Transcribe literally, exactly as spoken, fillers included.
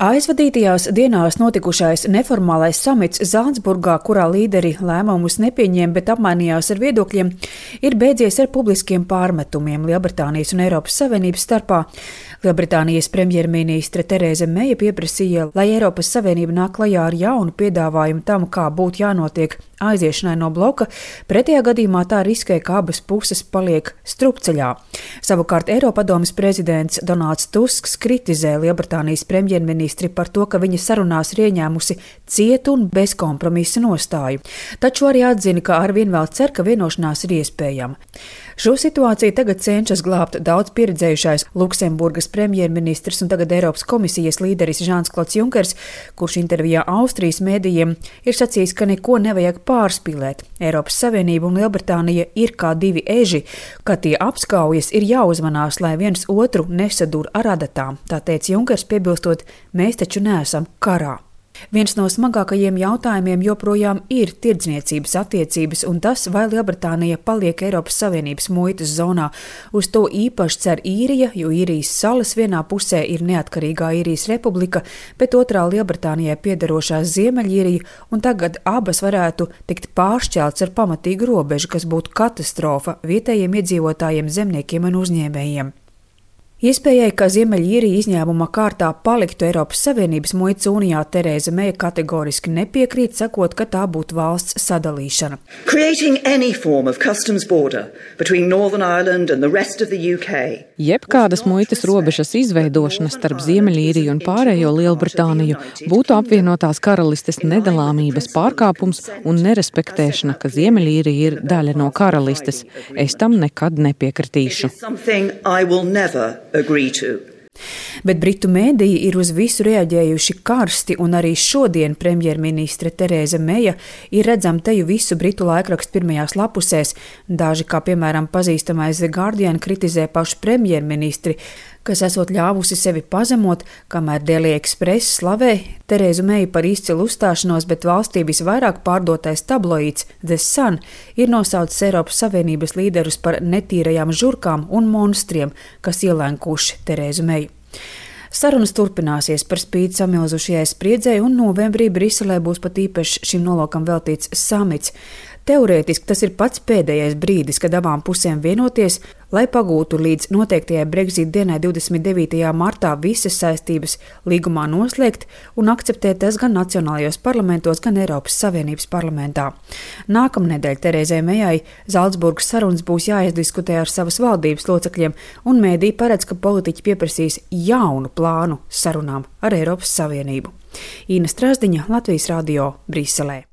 Aizvadītajās dienās notikušais neformālais samits Zalcburgā, kurā līderi lēmumus nepieņēma, bet apmainījās ar viedokļiem, ir beidzies ar publiskiem pārmetumiem Lielbritānijas un Eiropas Savienības starpā. Lielbritānijas premjerministre Terēza Meija pieprasīja, lai Eiropas Savienība nāk klajā ar jaunu piedāvājumu tam, kā būtu jānotiek aiziešanai no bloka, pretējā gadījumā tā riskē, ka abas puses paliek strupceļā. Savukārt Eiropadomes prezidents Donalds Tusks kritizē Lielbritānijas premjerministri par to, ka viņa sarunās ir ieņēmusi cietu un bezkompromisa nostāju, taču arī atzina, ka arvien vēl cer, ka vienošanās ir iespējama. Šo situāciju tagad cenšas glābt daudz pieredzējušais Luksemburgas premjerministrs un tagad Eiropas komisijas līderis Žans-Klods Junkers, kurš intervijā Austrijas mēdījiem ir sacījis, ka neko nevajag pārspīlēt. Eiropas Savienība un Lielbritānija ir kā divi eži, kad tie apskaujas, ir jāuzmanās, lai viens otru nesadur ar adatām, tā teica Junkers, piebilstot, mēs taču neesam karā. Viens no smagākajiem jautājumiem joprojām ir tirdzniecības attiecības un tas, vai Lielbritānija paliek Eiropas Savienības muitas zonā. Uz to īpaši cer Īrija, jo Īrijas salas vienā pusē ir neatkarīgā Īrijas republika, bet otrā Lielbritānijai piederošā Ziemeļīrija, un tagad abas varētu tikt pāršķelts ar pamatīgu robežu, kas būtu katastrofa vietējiem iedzīvotājiem, zemniekiem un uzņēmējiem. Iespējai, ka Ziemeļīrija izņēmuma kārtā paliktu Eiropas Savienības muitas unijā, Terēza Meija kategoriski nepiekrīt, sakot, ka tā būtu valsts sadalīšana. Jebkādas muitas robežas izveidošana starp Ziemeļīriju un pārējo Lielbritāniju būtu apvienotās karalistes nedalāmības pārkāpums un nerespektēšana, ka Ziemeļīrija ir daļa no karalistes. Es tam nekad nepiekritīšu. Bet Britu mēdīji ir uz visu reaģējuši karsti, un arī šodien premjerministre Terēza Meija ir redzama teju visu Britu laikrakstu pirmajās lapusēs. Daži, kā piemēram pazīstamais The Guardian, kritizē pašu premjerministri, kas esot ļāvusi sevi pazemot, kamēr Daily Express slavē Terēzu Meiju par izcilu uzstāšanos, bet valstī visvairāk pārdotais tabloīds The Sun ir nosaucis Eiropas Savienības līderus par netīrajām žurkām un monstriem, kas ielenkuši Terēzu Meiju. Sarunas turpināsies par spīti samilzušajai spriedzei, un novembrī Briselē būs pat īpaši šim nolūkam veltīts samits. Teorētiski tas ir pats pēdējais brīdis, kad abām pusēm vienoties, lai pagūtu līdz noteiktajai Brexit dienai divdesmit devītajā martā visas saistības līgumā noslēgt un akceptēt tas gan nacionālajos parlamentos, gan Eiropas Savienības parlamentā. Nākamnedēļ Terēzai Meijai Zalcburgas sarunas būs jāizdiskutē ar savas valdības locekļiem, un mēdīji paredz, ka politiķi pieprasīs jaunu plānu sarunām ar Eiropas Savienību. Ina Strasdiņa, Latvijas radio, Briselē.